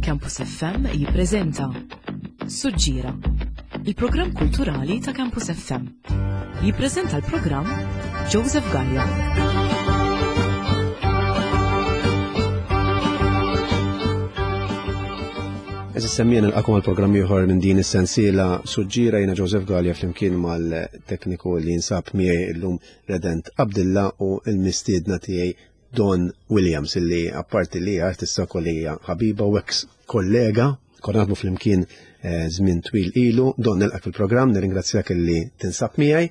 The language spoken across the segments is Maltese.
Campus FM jippreżenta Suġġiera, il-programm kulturali ta' Campus FM. Jippreżenta l-programm Joseph Gallia. Eżis semmien il-qakom għal-programm ieħor minn din is-sensiela suġġiera jiena Joseph Gallia flimkien mal-tekniku li jinsab miegħi illum Redent Abdilla u l-mistiedna tiegħi Don Williams illi apparti li artista kolija ħabiba u ex kollega konna naħdmu flimkien eh, żmien twil ilu, Don nilqak fil-programm, nirringrazzjak illi tinsab miegħi.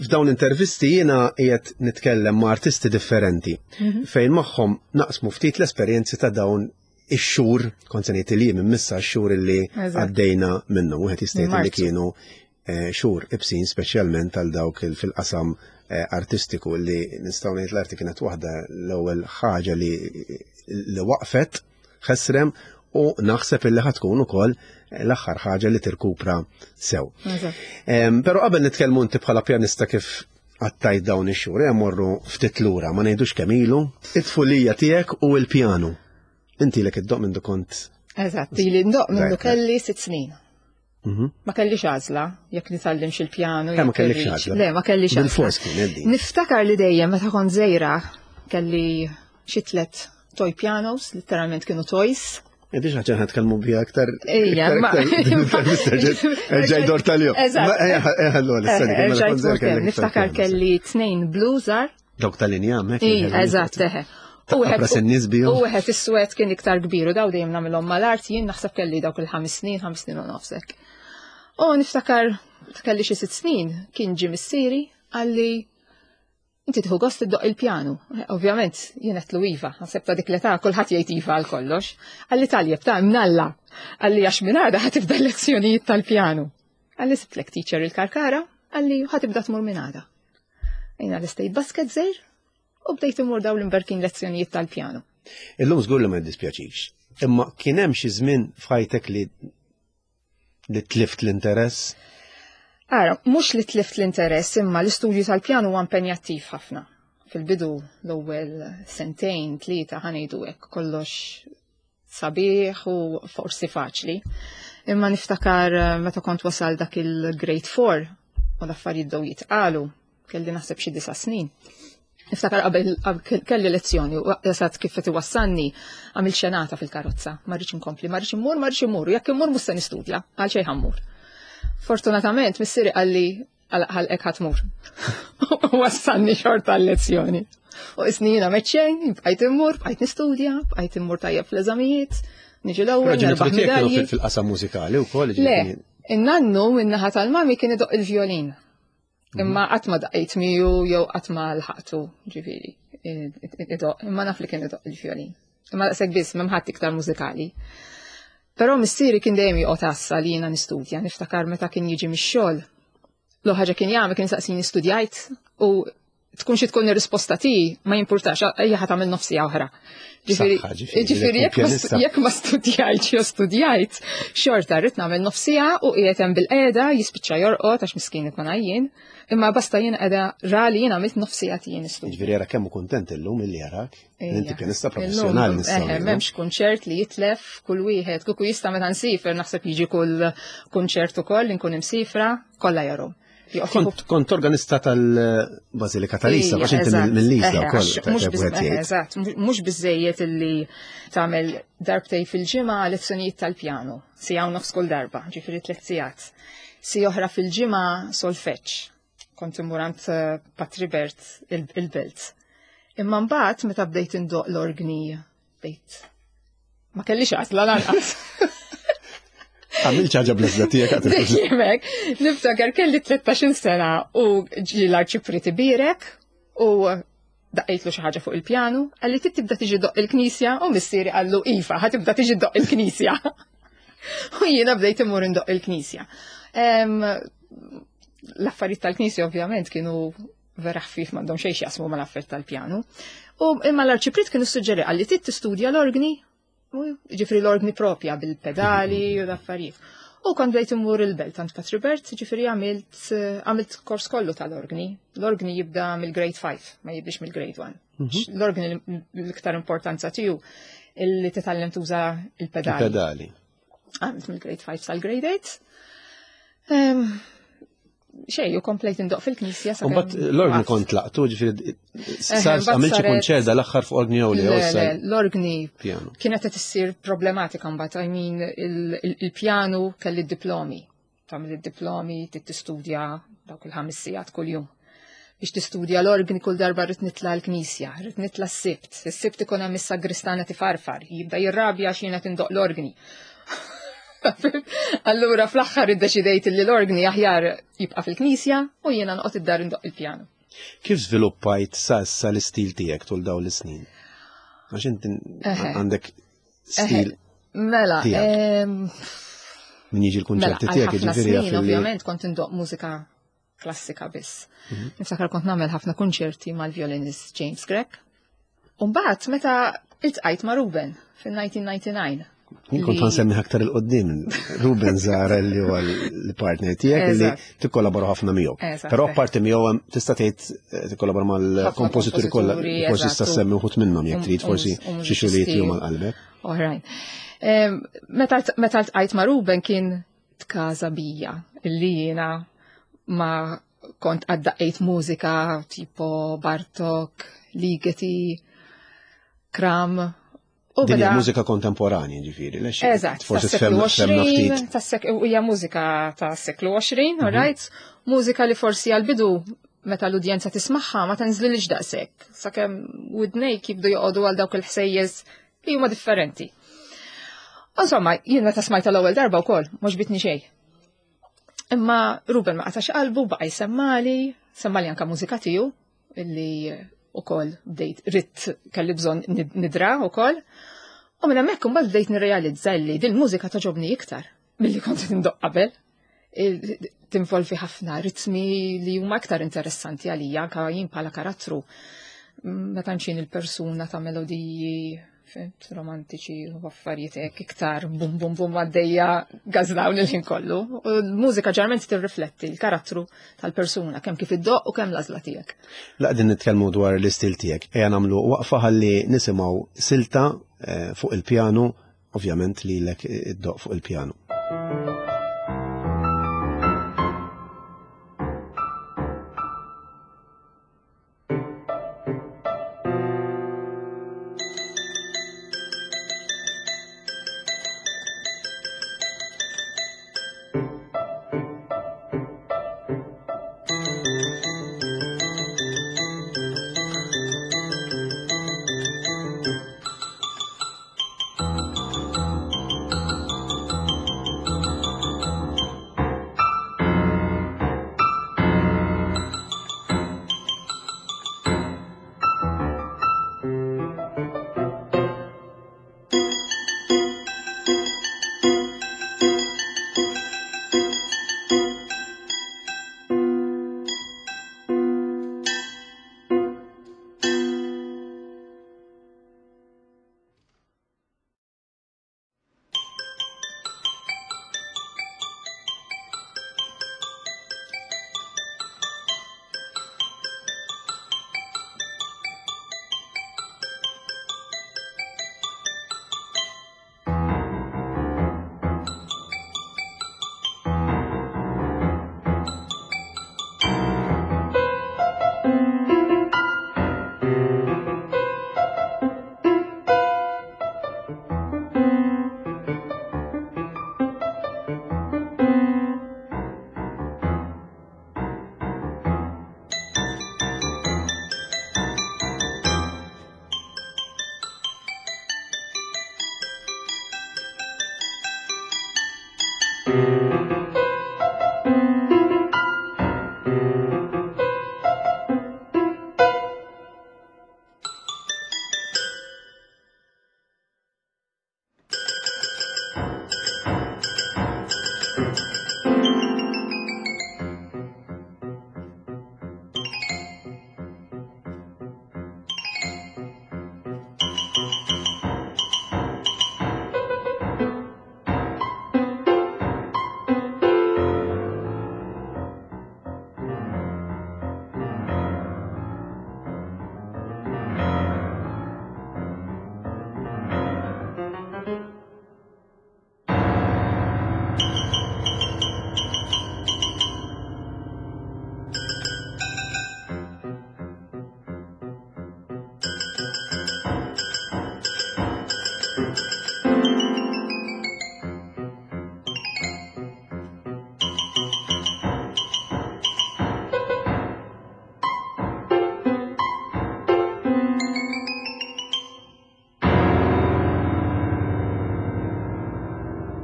F'dawn l-intervisti jiena qiegħed nitkellem ma' artisti differenti mhm. fejn magħhom naqsmu ftit l-esperjenzi ta' dawn ix-xhur, kont se ngħid li minn missa x-xhur illi għaddejna minnhom, wieħed jista' jgħid li kienu eh, xhur ibsin speċjalment għal dawk fil-qasam eh, artistiku li nistgħu ngħid l-arti kienet waħda l-ewwel ħaġa li li waqfet ħesrem u naħseb illi ħatkun ukoll l-aħħar ħaġa li tirkupra sew. Però qabel nitkellmu inti bħala pjanista kif għattajt dawn ix-xhur, eh, morru ftit lura, ma ngħidux kemm ilu, it-tfulija tiegħek u l-pjanu. Inti lek id-doq minn kont. Eżatt, ili ndoq minn kelli sitt snin. Mhm. Ma kellix għażla jekk nitgħallimx il-pjanu. Eh, ma kellix għażla. Le, ma kellix għażla. Bil-fors kien eddi. Niftakar li dejjem meta kont żejra kelli xi tlet toy pianos, letteralment kienu toys. Edi xaċa ħatkellmu bija aktar. Ejja, ma. Ġaj dor tal-jom. Niftakar kelli tnejn blues Dawk tal-injam, hekk. Eżatt, eħe. U wieħed is-swed kien iktar kbir u daw dejjem nagħmilhom mal-art jien naħseb kelli dawk il-ħames snin, ħames snin u nofsek. U niftakar kelli xi sitt snin kien ġie missieri għalli inti tieħu gost iddoq il-pjanu. Ovvjament jien qed iva, naħseb ta' dik l-età kulħadd jgħid iva għal kollox. Għalli taljeb ta' imnalla għalli għax minn għada ħatibda lezzjonijiet tal-pjanu. Għalli sibtlek teacher il-karkara, għalli ħatibda tmur minn għada. Jina l-istejt basket zejr u bdejt imur daw l-imberkin lezzjonijiet tal-pjanu. Illum żgur li ma jiddispjaċix. Imma kien hemm xi żmien f'ħajtek li li tlift l-interess? Ara, mhux li tlift l-interess, imma l-istudju tal-pjanu huwa impenjattiv ħafna. Fil-bidu l-ewwel sentejn, tlieta ħanejdu hekk kollox sabiħ u forsi faċli. Imma niftakar eh, meta kont wasal dak il-grade 4 u l-affarijiet bdew jitqalu, kelli naħseb xi disa' snin. Niftakar qabel kelli lezzjoni u jasat kif qed iwassalni għamil xenata fil-karozza, ma rridx inkompli, ma rridx immur, ma rridx immur, jekk immur mhux se nistudja, għal xejn ħammur. Fortunatament missieri qalli għal-ħalqek ħatmur. Wassalni xorta l-lezzjoni. U isni jina meċċejn, bqajt immur, bqajt nistudja, bqajt immur tajjeb fl-eżamijiet, niġi l-ewwel. Ġenituri fil-qasam mużikali wkoll. Le, in-nannu min-naħa tal-mami kien idoq il-vjolin. Mhm. Imma qatt ma daqqiet miegħu jew qatt ma lħaqtu, ġifieri, idoq, imma naf li kien idoq il-vjolin. Imma daqshekk biss m'hemm ħadd iktar mużikali. Però missieri kien dejjem joqgħod għassa li jiena nistudja, niftakar meta kien jiġi mix-xogħol. L ħaġa kien jagħmel kien saqsini studjajt u tkun xi tkun ir-risposta tiegħi ma jimpurtax ejja ħa tagħmel nofsija oħra. Ġifieri jekk ma studjajt jew studjajt, xorta rrid nagħmel nofsija u qiegħed hemm bil-qiegħda jispiċċa jorqod għax miskin ikun għajjien. Imma basta jien qiegħda ra li jien għamilt nofsija tiegħi nistudja. Ġifieri jara kemm hu kuntent illum illi jarak. Inti pjanista professjonali nistgħu. M'hemmx kunċert li jitlef kull wieħed, kuku jista' meta nsifer naħseb jiġi kull kunċert ukoll inkun imsifra, kollha jarhom. Kont organista tal-Basilika tal-Isa, għax inti mill-Isa wkoll. Eżatt, mhux biżejjed illi tagħmel darbtej fil-ġimgħa lezzjonijiet tal-pjanu, si hawn nofs kull darba, ġifieri tliet sigħat. Si oħra fil-ġimgħa solfeġġ kont immur għand eh, Patri Bert il-belt. Imma mbagħad meta bdejt indoq l-orgni bdejt ma kellix għażla lanqas. Għamil ċaġa bl-ezda tijek għat. Niftakar kelli 13 sena u ġi l-arċipriti birek u daqqejtlu xi ħaġa fuq il-pjanu, qalli trid tibda tiġi doq il-knisja u missieri qallu iva, ħa tibda tiġi doq il-knisja. U jiena bdejt immur indoq il-knisja. L-affarijiet tal-knisja ovvjament kienu vera ħfif m'għandhom xejn x'jaqsmu mal-affarijiet tal-pjanu. U imma l-arċiprit kienu suġġeri qalli trid tistudja l-orgni ġifri l-ordni propja bil-pedali u l-affarijiet. U kont bdejt immur il-belt għand Patri Bert, ġifiri għamilt għamilt kors kollu tal-orgni. L-orgni jibda mill-grade 5, ma jibdix mill-grade 1. Mhm. L-orgni l-iktar importanza tiegħu. Illi titgħallem tuża il-pedali. Il-pedali. Għamilt mill-grade 5 sal-grade 8. Xej, u komplejt indoq fil-knisja. Umbat l-orgni kont laqtu, ġifiri, sar għamilt xi kunċert dal-aħħar fuq orgni jew le, l-orgni kienet qed issir problematika mbagħad, I mean, il-pjanu kelli d-diplomi. Tagħmel id-diplomi, tistudja dawk il-ħames sigħat kuljum. Biex tistudja l-orgni kull darba rrid nitla' l-knisja, rrid nitla' s-sibt. Is-sibt ikun hemm is-sagristana tifarfar, jibda jirrabja għax jiena tindoq l-orgni. Allura fl-aħħar iddeċidejt li l-orgni aħjar jibqa' fil-knisja u jiena noqgħod id-dar indoq il-pjanu. Kif żviluppajt sa issa l-istil tiegħek tul dawn l-snin? Għax inti għandek stil. Mela, min jiġi l-kunċerti mela, tiegħek jiġifieri jaf Ovvjament kont indoq mużika klassika biss. Mhm. Niftakar kont nagħmel ħafna kunċerti mal-violinist James Grech. Umbagħad meta iltqajt ma' Ruben fil-1999. Jien kont nsemmi aktar il-qoddim, Ruben Zara li huwa l-partner tiegħek li tikkollabora ħafna miegħu. Però apparti miegħu tista' tgħid eh, tikkollabora mal-kompożituri kollha, forsi tista' semmi wħud minnhom jekk trid forsi xi xogħlijiet li huma qalbek. Alright. Meta ltqajt ma' Ruben kien tkaża bija illi jiena ma kont għaddaqqejt mużika tipo Bartok, Ligeti, Kram. U Din hija mużika kontemporanja ġifieri, lex? Eżatt, forsi tfemna ftit. Hija mużika ta' seklu 20, mhm. alright? Mużika li forsi għal-bidu meta l-udjenza tismagħha ma tenżlilix daqshekk, sakemm widnejk jibdu joqogħdu għal dawk il-ħsejjes li huma differenti. Insomma, jien meta smajta l-ewwel darba wkoll, mhux bitni xejn. Imma Ruben ma qatax qalbu, baqa' jsemmali, semmali anka mużika tiegħu illi ukoll bdejt ritt kelli bżonn nidra ukoll. U minn hemmhekk imbagħad bdejt nirrealizza li din mużika toġobni iktar milli kont indoq qabel. Tinvolvi ħafna ritmi li huma iktar interessanti għalija anka jien bħala karattru. Meta nxin il-persuna ta' melodiji fimt, romantiċi u affarijiet hekk iktar bum bum bum għaddejja gażlawn il-ħin kollu. U l-mużika ġarment tirrifletti l-karattru tal-persuna kemm kif iddoq u kemm l-għażla tiegħek. La qegħdin nitkellmu dwar l-istil tiegħek. Ejja nagħmlu waqfa ħalli nisimgħu silta eh, fuq il-pjanu, ovvjament lilek iddoq fuq il-pjanu.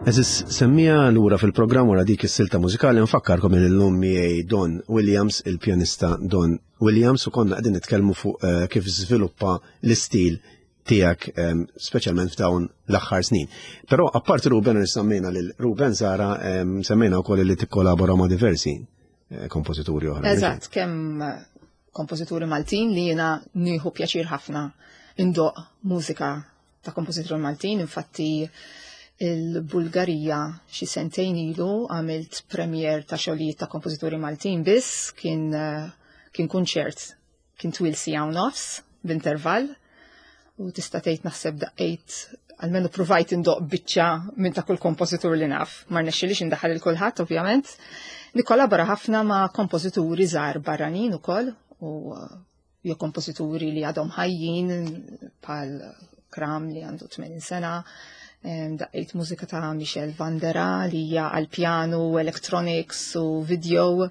Eżis semmija lura fil-programm wara dik is-silta mużikali nfakkarkom li llum miegħi Don Williams, il-pjanista Don Williams u konna qegħdin nitkellmu fuq eh, kif żviluppa l-istil tiegħek ehm, speċjalment f'dawn l-aħħar snin. Però apparti Ruben li semmejna lil Ruben Zara ehm, semmejna wkoll li tikkolabora ma' diversi eh, kompożituri oħra. Eżatt, kemm kompożituri Maltin li jiena nieħu pjaċir ħafna indoq mużika ta' kompożituri Maltin, infatti il-Bulgarija xi sentejn ilu għamilt premier ta' xogħlijiet ta' kompożituri Maltin biss kien eh, kien kunċert kien twil siegħa u nofs b'intervall u tista' tgħid naħseb daqqejt almenu provajt indoq biċċa minn ta' kull kompożitur li naf. Ma rnexxilix indaħħal il kulħadd ovvjament. Nikkollabora ħafna ma' kompożituri żgħar barranin ukoll u eh, jew kompożituri li għadhom ħajjin bħal Kram li għandu 80 sena, daqqejt mużika ta' Michel Vandera li hija għal pjanu, electronics u video,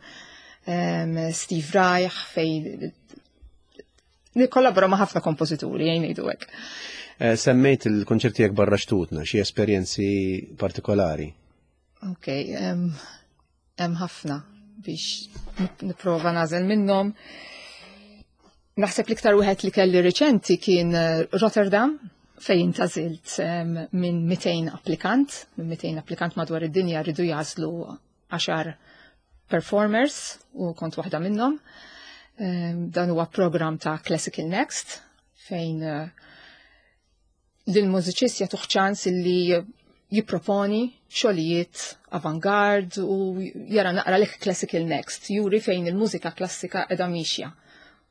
Steve Reich fej nikkollabora ma' ħafna kompożituri jgħin ngħidu hekk. Eh, semmejt il-konċerti jekk barra xtutna, xi esperjenzi partikolari? Ok, hemm ħafna biex nipprova nażel minnhom. Naħseb l-iktar wieħed li kelli riċenti kien eh, Rotterdam fejn tażilt minn 200 applikant, minn 200 applikant madwar id-dinja rridu jażlu 10 performers u kont waħda minnhom. Dan huwa program ta' Classical Next fejn eh, lill-mużiċist jagħtuh ċans li jipproponi xogħlijiet avangard u jara naqra lek classical next, juri fejn il-mużika klassika qiegħda mixja.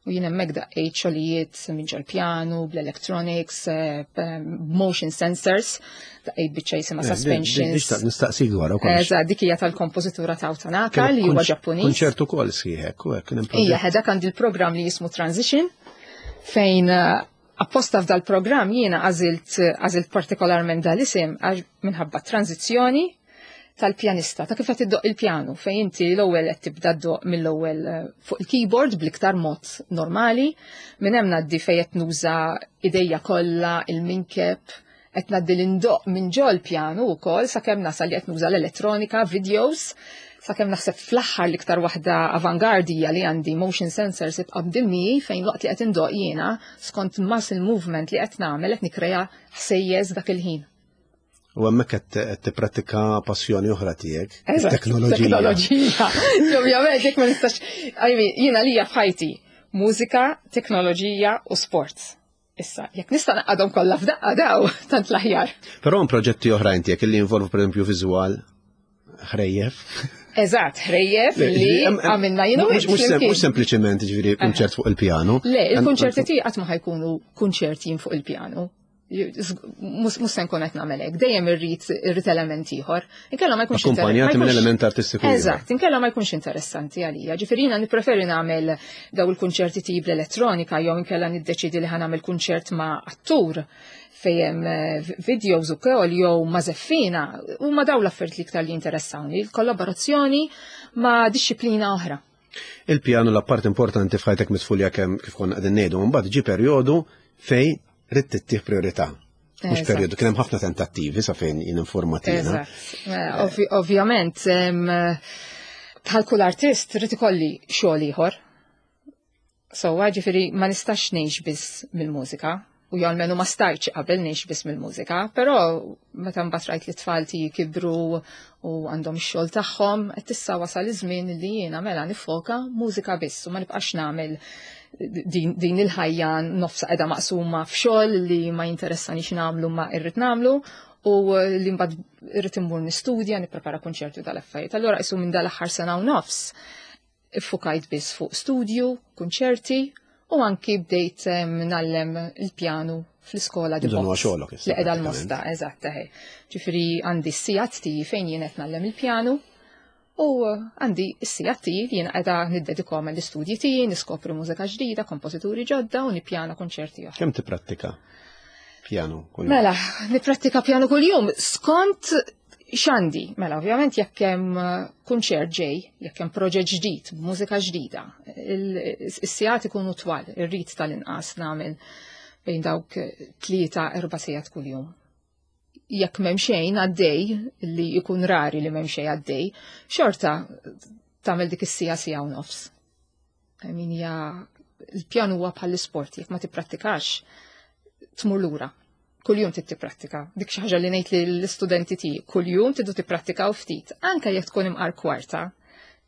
U jien hemmhekk daqqejt xogħlijiet minn ġol-pjanu, bl-electronics, eh, motion sensors, daqqejt biċċa jisimha eh, suspensions. Nistaqsik dwar ukoll. Eżatt, dik hija tal-kompożitura ta' Tanaka li huwa Ġappuniż. Kunċert ukoll sħiħek u hekk. Ija, dak għandi l-programm li jismu Transition fejn eh, Apposta f'dal programm jiena għażilt għażilt partikolarment dal-isem għax minħabba tranzizzjoni tal-pjanista, ta' kif qed iddoq il-pjanu, fejn inti l-ewwel qed tibda ddoq mill-ewwel eh, fuq il-keyboard bl-iktar mod normali, minn hemm ngħaddi fejn qed nuża idejja kollha, il-minkeb, qed ngħaddi l-indoq minn ġol pjanu wkoll sakemm nasal li qed nuża l-elettronika, videos, sakemm naħseb fl-aħħar l-iktar waħda avangardija li għandi motion sensors ibqa' b'dimni fejn waqt li qed indoq jiena skont muscle movement li qed nagħmel qed nikkrea ħsejjes dak il-ħin. U hemmhekk qed tipprattika passjoni oħra tiegħek, teknoloġija. Teknoloġija. Ovvjament jekk ma nistax, jiena lija f'ħajti mużika, teknoloġija u sport. Issa, jekk nista' naqadhom kollha f'daqqa daw, tant l-aħjar. Però hemm proġetti oħrajn tiegħek li jinvolvu pereżempju viżwal, ħrejjef. Eżatt, ħrejjef li għamilna jienu. Mhux sempliċement ġifieri kunċert fuq il-pjanu. Le, il-kunċerti tiegħi qatt ma ħajkunu kunċerti jien fuq il-pjanu. Mhux se nkun qed nagħmel hekk, dejjem irrid irrid element ieħor. Inkella ma jkunx Akkumpanjati minn element artistiku. Eżatt, inkella ma jkunx interessanti għalija. Ġifieri jiena nippreferi nagħmel daw il-kunċerti tip l-elettronika jew inkella niddeċidi li ħanamel kunċert ma' attur fejn eh, videos u kol jew ma' zeffina huma daw l-affarijiet li iktar li jinteressawni, il-kollaborazzjoni ma' disċiplina oħra. Il-pjanu l-appart importanti f'ħajtek mitfulja kemm kif konna qegħdin ngħidu, mbagħad ġi perjodu fej ridt tittih priorità. Mhux perjodu, kien hemm ħafna tentattivi sa fejn jien informatina. Eh, ovvjament, bħal kull artist rrid ikolli xogħol ieħor. So, ġifieri ma nistax ngħix biss mill-mużika, u jew almenu ma stajtx qabel ngħix biss mill-mużika, però meta mbagħad rajt li tfal tiegħi kibru u għandhom ix-xogħol tagħhom, qed issa wasal iż-żmien li jiena mela nifoka mużika biss u ma nibqax nagħmel din, din il-ħajja nofsa qiegħda maqsuma f'xogħol li ma jinteressanix nagħmlu ma irrid nagħmlu u li mbagħad irrid immur nistudja, nipprepara kunċerti tal-affarijiet. Allura isu minn dal-aħħar sena u nofs iffukajt biss fuq studju, kunċerti u anki bdejt nallem il-pjanu fl-iskola di xogħolok Li qiegħda l-mosta, eżatt, Ġifieri għandi s-sigħat tiegħi fejn jien qed nallem il-pjanu U għandi s-sigħat tiegħi li jiena qiegħda niddedikhom għall-istudji tiegħi, niskopri mużika ġdida, kompożituri ġodda u nippjana konċerti oħra. Kemm tipprattika pjanu kuljum? Mela, nipprattika pjanu kuljum skont xandi. Mela, ovvjament jekk hemm kunċert ġej, jekk hemm proġett ġdid, mużika ġdida, is-sigħat ikunu twal, irrid tal-inqas nagħmel bejn dawk tlieta erba' sigħat kuljum. jekk m'hemm xejn għaddej, li jkun rari li m'hemm xejn għaddej, xorta tagħmel dik is-sija sija u nofs. I mean, ja, il-pjan huwa bħall-isport, jekk ma tipprattikax, tmur lura. Kuljum trid tipprattika. Dik xi ħaġa li ngħid lill-istudenti tiegħi, kuljum tridu tipprattikaw ftit, anke jekk tkun imqar kwarta,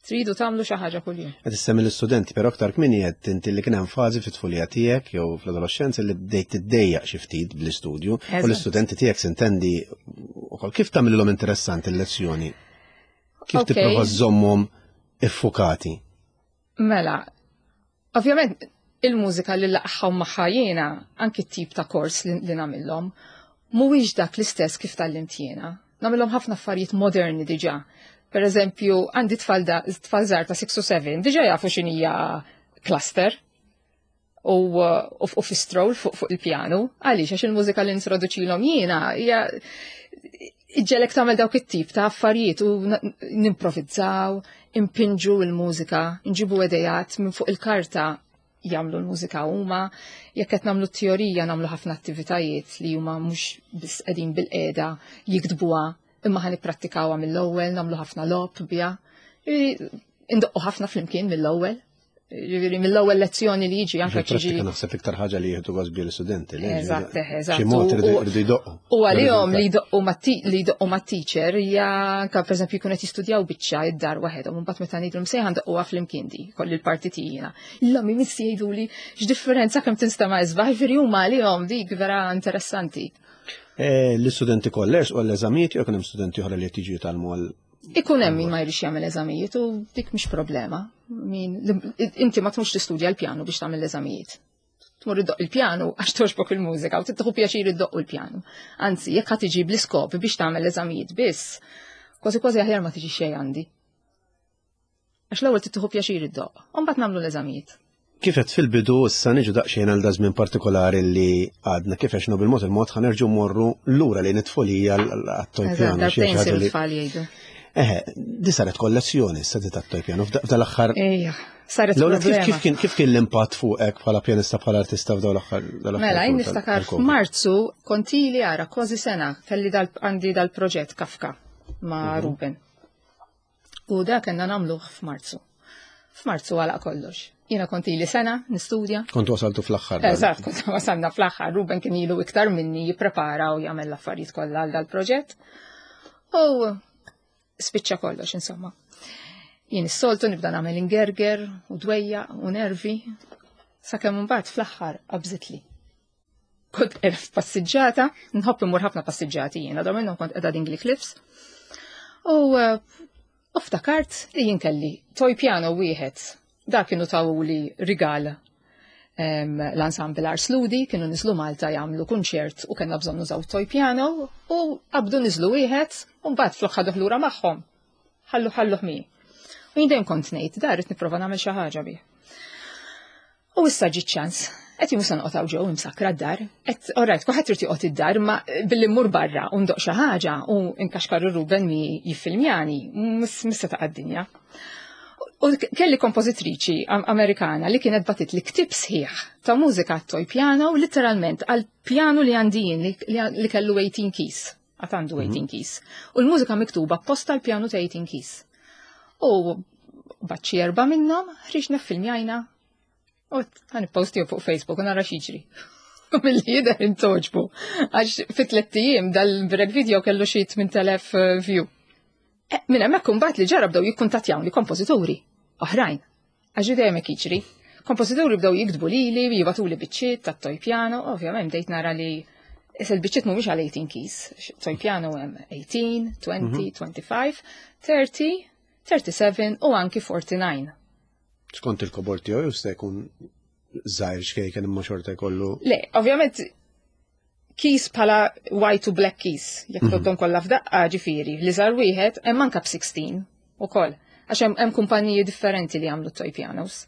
tridu tagħmlu xi ħaġa kuljum. Qed issemmi l-istudenti, però aktar kmieni qed inti li kien hemm fażi fit-tfulija tiegħek jew fl-adolescenza li bdejt tiddejjaq xi ftit bl-istudju u l-istudenti tiegħek sintendi ukoll kif tagħmilhom interessanti l-lezzjoni? Kif tipprova żżommhom iffukati? Mela, ovvjament il-mużika li laqħaw magħha jiena, anki t-tip ta' kors li, li nagħmilhom, mhuwiex dak l-istess kif tgħallimt jiena. Nagħmilhom ħafna affarijiet moderni diġà. Per eżempju, għandi tfal żgħar ta' 6 u 7, diġà jafu x'inhija cluster u, u, u fistroll fuq fu il-pjanu. Għaliex għax il-mużika li introduċilhom jiena hija iġġelek tagħmel dawk it-tip ta' affarijiet u nimprovizzaw, impinġu l-mużika, nġibu idejat minn fuq il-karta jagħmlu l-mużika huma, jekk qed nagħmlu t-teorija nagħmlu ħafna attivitajiet li huma mhux biss qegħdin bil-qiegħda jiktbuha imma ħa nipprattikawha mill-ewwel, nagħmlu ħafna logħob biha. Indoqqu ħafna flimkien mill-ewwel. Ġifieri mill-ewwel lezzjoni li jiġi anke ġiġi. Naħseb iktar ħaġa li jieħdu gost bil studenti. Eżatt, eżatt. Xi mod irridu jdoqqu. U għalihom li jdoqqu li jdoqqu mat-teacher hija anke pereżempju jkun qed jistudjaw biċċa id-dar waħedhom, imbagħad meta ngħidlhom sejħa ndoqquha flimkien di, kolli l-parti tiegħi. Illum imissi jgħiduli x'differenza kemm tinstema' isbaħ, ġifieri huma għalihom dik vera interessanti. Eh, l-istudenti kollha u għall-eżamijiet jew hemm studenti oħra li qed jiġu jitgħallmu għal Ikun hemm min ma jridx jagħmel eżamijiet u dik mhix problema. Min inti ma tmux tistudja l-pjanu biex tagħmel l-eżamijiet. Tmur iddoq il-pjanu għax togħġbok il-mużika u tieħu pjaċir iddoqqu l-pjanu. Anzi, jekk ħa tiġi bl-iskop biex tagħmel l-eżamijiet biss, kważi kważi aħjar ma tiġi xejn għandi. Għax l-ewwel tieħu pjaċir iddoq, u mbagħad nagħmlu l-eżamijiet. Kif qed fil-bidu issa niġu daqsxejn għal dażmien partikolari li għadna kif għexna bil-mod il-mod ħa nerġgħu morru lura lejn it-tfulija għat-toy piano. Darbtejn siru tfal jgħidu. Eħe, di saret kollezzjoni issa di tat-toy piano f'dal-aħħar. Ejja, saret problema. Kif kien kif kien l-impatt fuqek bħala pjanista bħala artista f'dawn l-aħħar? Mela, jien niftakar f'Marzu kontili ara kważi sena kelli għandi dal-proġett Kafka ma' mhm. Ruben. U da kellna nagħmluh f'Marzu. F'Marzu għalaq kollox. Jiena kont ili sena nistudja. Kont wasaltu fl-aħħar. Eżatt, kont wasalna fl-aħħar. Ruben kien ilu iktar minni jipprepara u jagħmel l-affarijiet kollha għal dal-proġett. U spiċċa kollox, insomma. Jien is-soltu nibda nagħmel ingerger u dwejja u nervi sakemm imbagħad fl-aħħar qabżitli. Kont qiegħda f'passiġġata, nħobb immur ħafna passiġġati jiena, dawn minnhom kont qiegħda Dingley Cliffs. U eh, ftakart li jien kelli toy piano wieħed. Dak kienu tawuli rigal l-ensemble Ars Ludi kienu niżlu Malta jagħmlu kunċert u kellna bżonn nużaw toy piano u qabdu niżlu wieħed u mbagħad flok ħaduh lura magħhom. Ħallu ħalluh mi. U jien dejjem kont ngħid dar rid nipprova nagħmel xi ħaġa bih. U issa ġi ċans. Qed jien se noqgħod hawn ġew imsakkra d-dar. Qed alright, kulħadd irid joqgħod id-dar, imma billi mmur barra u ndoq xi ħaġa u nkaxkar Ruben mi jiffilmjani, mhux se taqa' d-dinja. U kelli kompożitriċi Amerikana li kienet batit li ktib sħiħ ta' mużika toy piano literalment għal pjanu li għandi jien li kellu 18 keys. Għad għandu 18 mhm. keys. U l-mużika miktuba apposta l-pjanu ta' 18 keys. U baċċi erba' minnhom ħriġna filmjajna u għan postiju fuq Facebook u nara x'jiġri. U mill-li jidher intoġbu. Għax fit tliet ijiem dal-break video kellu xi 8000 eh, view. Eh, minn hemmhekk imbagħad li ġara bdew jikkuntattjawni kompożituri oħrajn. Għax dejjem hekk jiġri. Kompożituri bdew jiktbu lili, jibatuli biċċiet tat-toy piano, ovvjament bdejt nara li Issa l-biċċiet mhumiex għal 18 keys. Toy piano hemm 18, 20, 25, 30, 37 u anki 49. Skont il-kobor tiegħu jista' jkun żgħir xkejken imma xorta jkollu. Le, ovvjament keys bħala white u black keys, jekk mm -hmm. kollha f'daqqa ġifieri, li żar wieħed hemm anke b'16 ukoll. Għax hemm kumpaniji differenti li jagħmlu toy pianos.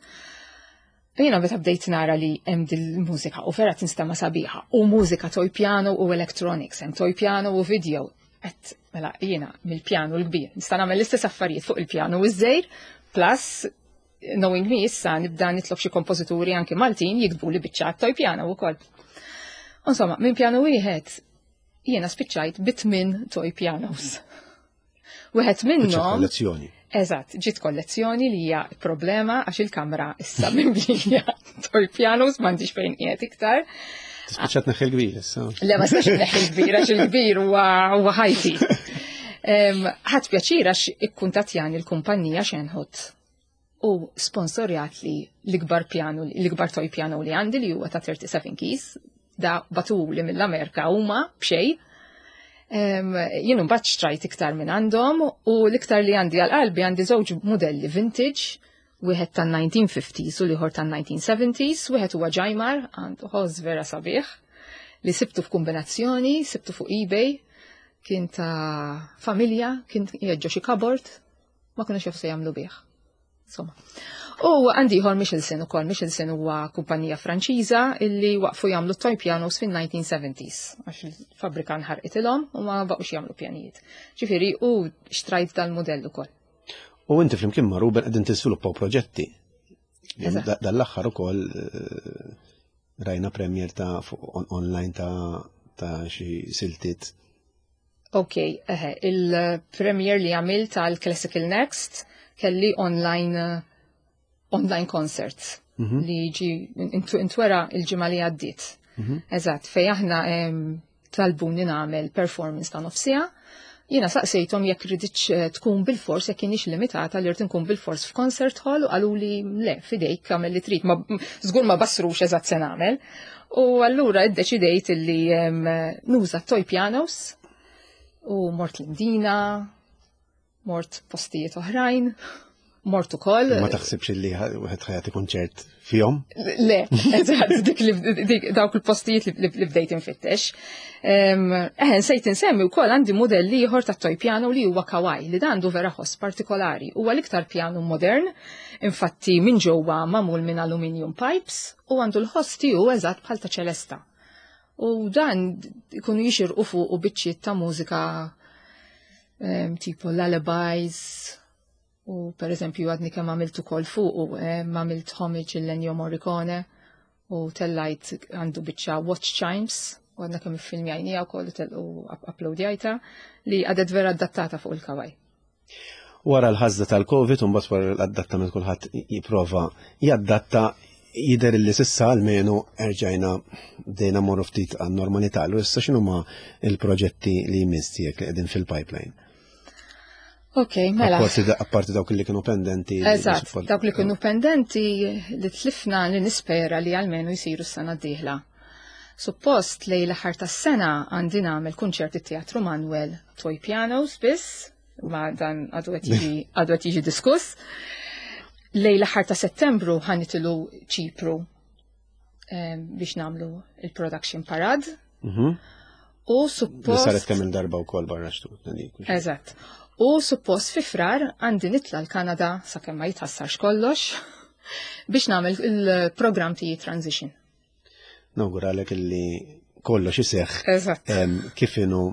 Jiena meta bdejt nara li hemm dil-mużika u vera tinstema' sabiħa u mużika toy piano u electronics, hemm toy piano u video. Et mela jiena mill-pjanu l-kbir nista' nagħmel l-istess affarijiet fuq il-pjanu iż-żejr plus knowing me issa nibda nitlob xi kompożituri anki Maltin jiktbu li biċċa toy piano wkoll. Insomma, minn pjanu wieħed Jiena spiċċajt bitmin toy pianos. Wieħed minnhom. Kollezzjoni. Eżatt, ġiet kollezzjoni li hija problema għax il-kamra issa mimlija toy pianos m'għandix fejn qiegħed iktar. Tispiċċat neħħi l-kbir issa. Le ma stax neħħi l-kbir għax il-kbir huwa ħajti. Ħadd pjaċir għax ikkuntattjani l-kumpanija Xenħut u sponsorjat li l-ikbar piano, l-ikbar toy piano li għandi li huwa ta' 37 keys, da batuli mill-Amerika huma b'xejn. Jien mbagħad xtrajt iktar minn għandhom u l-iktar li għandi għal qalbi għandi żewġ modelli vintage, wieħed tan-1950s u l-ieħor tan-1970s, wieħed huwa Ġajmar għandu ħoss vera sabiħ li sibtu f'kombinazzjoni, sibtu fuq eBay, kien ta' familja, kien qiegħed xi cupboard, ma kienux jafu se jagħmlu bih. Insomma. U għandi ieħor Michelson ukoll. Michelson huwa kumpanija Franċiża illi waqfu jagħmlu toy pianos fin-1970s għax il-fabbrika nħarqitilhom u ma baqgħux jagħmlu pjanijiet. Ġifieri u xtrajt dal-mudell ukoll. U inti flimkien ma' Ruben qegħdin tiżviluppaw proġetti. Dal-aħħar ukoll eh, rajna premier ta' online ta' xi siltiet. Ok, eħe, il-premier li għamilt tal Classical Next kelli online eh, online concerts mm -hmm. li ġi intwera il-ġimgħa li għaddiet. Mm -hmm. Eżatt, fej aħna talbuni nagħmel performance ta' nofsija. Jiena saqsejthom jekk riditx eh, tkun bil-fors jekk kienx limitata li rrid nkun bil-fors f'concert hall u qalu li le fidejk għamel li trid, ma żgur ma basrux eżatt se nagħmel. U allura iddeċidejt li nuża toy pianos u mort l-Indina, mort postijiet oħrajn, mort ukoll. Ma taħsibx li wieħed ħajati kunċert fihom? Le, eżatt, dik li dawk il-postijiet li bdejt infittex. Eħen, sejt insemmi wkoll għandi mudell ieħor ta' toy piano li huwa Kawai, li dan għandu vera ħoss partikolari. Huwa l-iktar piano modern, infatti minn ġewwa magħmul minn aluminium pipes u għandu l-ħoss tiegħu eżatt bħal ta' ċelesta. U dan ikunu jixirqu fuq u biċċiet ta' mużika tipo lullabies u per eżempju għadni kemm għamilt ukoll fuq u għamilt homage il-Ennio Morricone u tellajt għandu biċċa Watch Chimes u għadna kemm iffilmjajnija wkoll u uploadjajta li għadet vera adattata fuq il-Kawai. Wara l-ħażda tal-Covid, u mbagħad wara l-adattament kulħadd jipprova jadatta jidher li sissa almenu erġajna bdejna morru ftit għan-normalità. Allura issa x'inhuma il-proġetti li jmiss tiegħek li qegħdin fil-pipeline? Ok, mela. Apparti dawk li kienu pendenti. Eżatt, dawk li kienu pendenti li tlifna li nispera li almenu jsiru s-sena d-dieħla. Suppost li l-aħħar tas-sena għandi nagħmel kunċert it-Teatru Manuel Toy Pianos biss, ma dan għadu qed jiġi diskuss. Lej l-aħħar ta' Settembru ħanitilu Ċipru biex namlu il-production parade. U suppost. Saret kemm il-darba wkoll barra xtut. Eżatt. U suppost fi frar għandi nitla l-Kanada sakemm ma jitħassarx kollox biex nagħmel il-programm tiegħi transition. Nawguralek illi kollox iseħħ kif inhu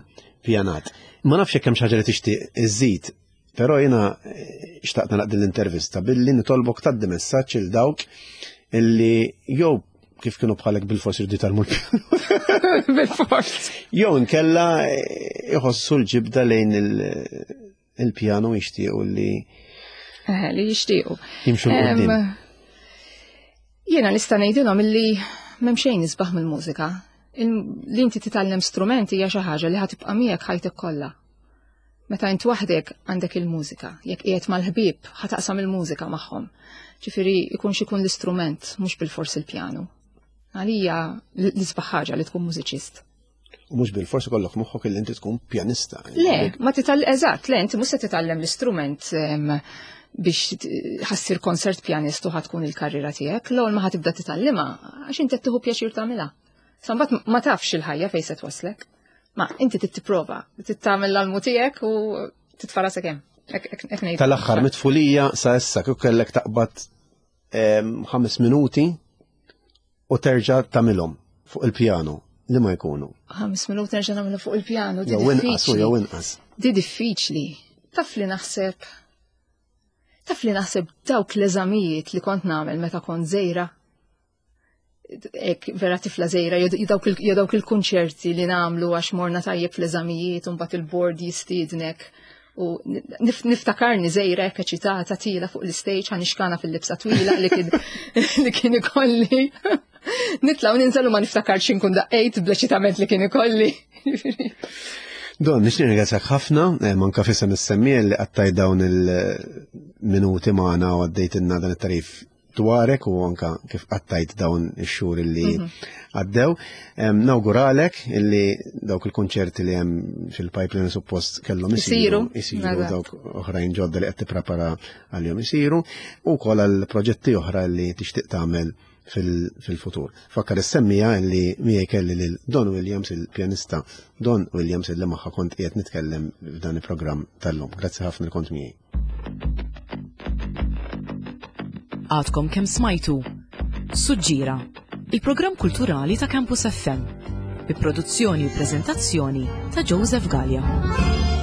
pjanat. Ma nafx jekk hemm xi ħaġa li tixtieq iżid, però jiena eh, xtaqt nagħlaq din l-intervista billi nitolbok tgħaddi messaġġ il dawk illi jew kif kienu bħalek bil-fors irdu jitalmu l-pjanu. Bil-fors. Jew inkella eh, iħossu l-ġibda lejn il-pjanu jixtiequ li. Eh, li jixtiequ. Jimxu l-qudiem. Jiena nista' ngħidilhom illi m'hemm xejn isbaħ mill-mużika. Li inti titgħallem strument hija xi ħaġa li ħatibqa' miegħek ħajtek kollha. Meta int waħdek għandek il-mużika, jekk qiegħed mal-ħbieb ħataqsam il-mużika magħhom. Ġifieri ikun x'ikun l-istrument mhux bil-fors il-pjanu. Għalija l-isbaħ ħaġa li tkun mużiċist. U mhux bil-fors ikollok moħħok li inti tkun pjanista. Le, ma titgħall eżatt, le inti mhux se titgħallem l-istrument biex ħassir konsert pjanist u ħatkun il-karriera tiegħek, l-ewwel ma ħatibda titgħallimha għax inti qed tieħu pjaċir tagħmilha. Sambat ma tafx il-ħajja fejn se twaslek. Ma inti trid tipprova, trid tagħmel l-almu tiegħek u titfa' rasek hemm. Tal-aħħar mitfulija sa issa kif kellek taqbad ħames minuti u terġa' tagħmilhom fuq il-pjanu li ma jkunu. Ħames minuti nerġa' nagħmilhom fuq il-pjanu. Jew inqas u jew inqas. Di diffiċli. Taf li naħseb Taf li naħseb dawk l-eżamijiet li kont nagħmel meta kont żejra. Ek vera tifla żgħira jew dawk il-kunċerti li nagħmlu għax morna tajjeb fl-eżamijiet u mbagħad il-bord jistiednek u niftakarni żgħira hekk eċitata tila fuq l-istage ħanixkana fil-libsa twila li kien li kien ikolli. Nitla' u ninżel u ma niftakarx inkun daqqejt bl-eċitament li kien ikolli. Don, nixtieq ringrazzjak ħafna, eh, manka fisem is-semmien li qattaj dawn il-minuti magħna u għaddejtilna dan it-tarif dwarek u anka kif qattajt dawn ix-xhur li mhm. għaddew. Nawguralek illi dawk il-konċerti li hemm fil-pipeline suppost kellhom isiru, isiru dawk oħrajn ġodda li qed tipprepara għalihom isiru u wkoll għal proġetti oħra li tixtieq tagħmel fil-futur. Fakkar is-semmija li miegħi kelli lil Don Williams il-pjanista Don Williams illi magħha kont qiegħed nitkellem f'dan il-programm tal-lum. Grazzi ħafna li kont miegħi. Għadkom kemm smajtu Suġġira, il-programm kulturali ta' Campus FM, bi produzzjoni u preżentazzjoni ta' Joseph Gallia.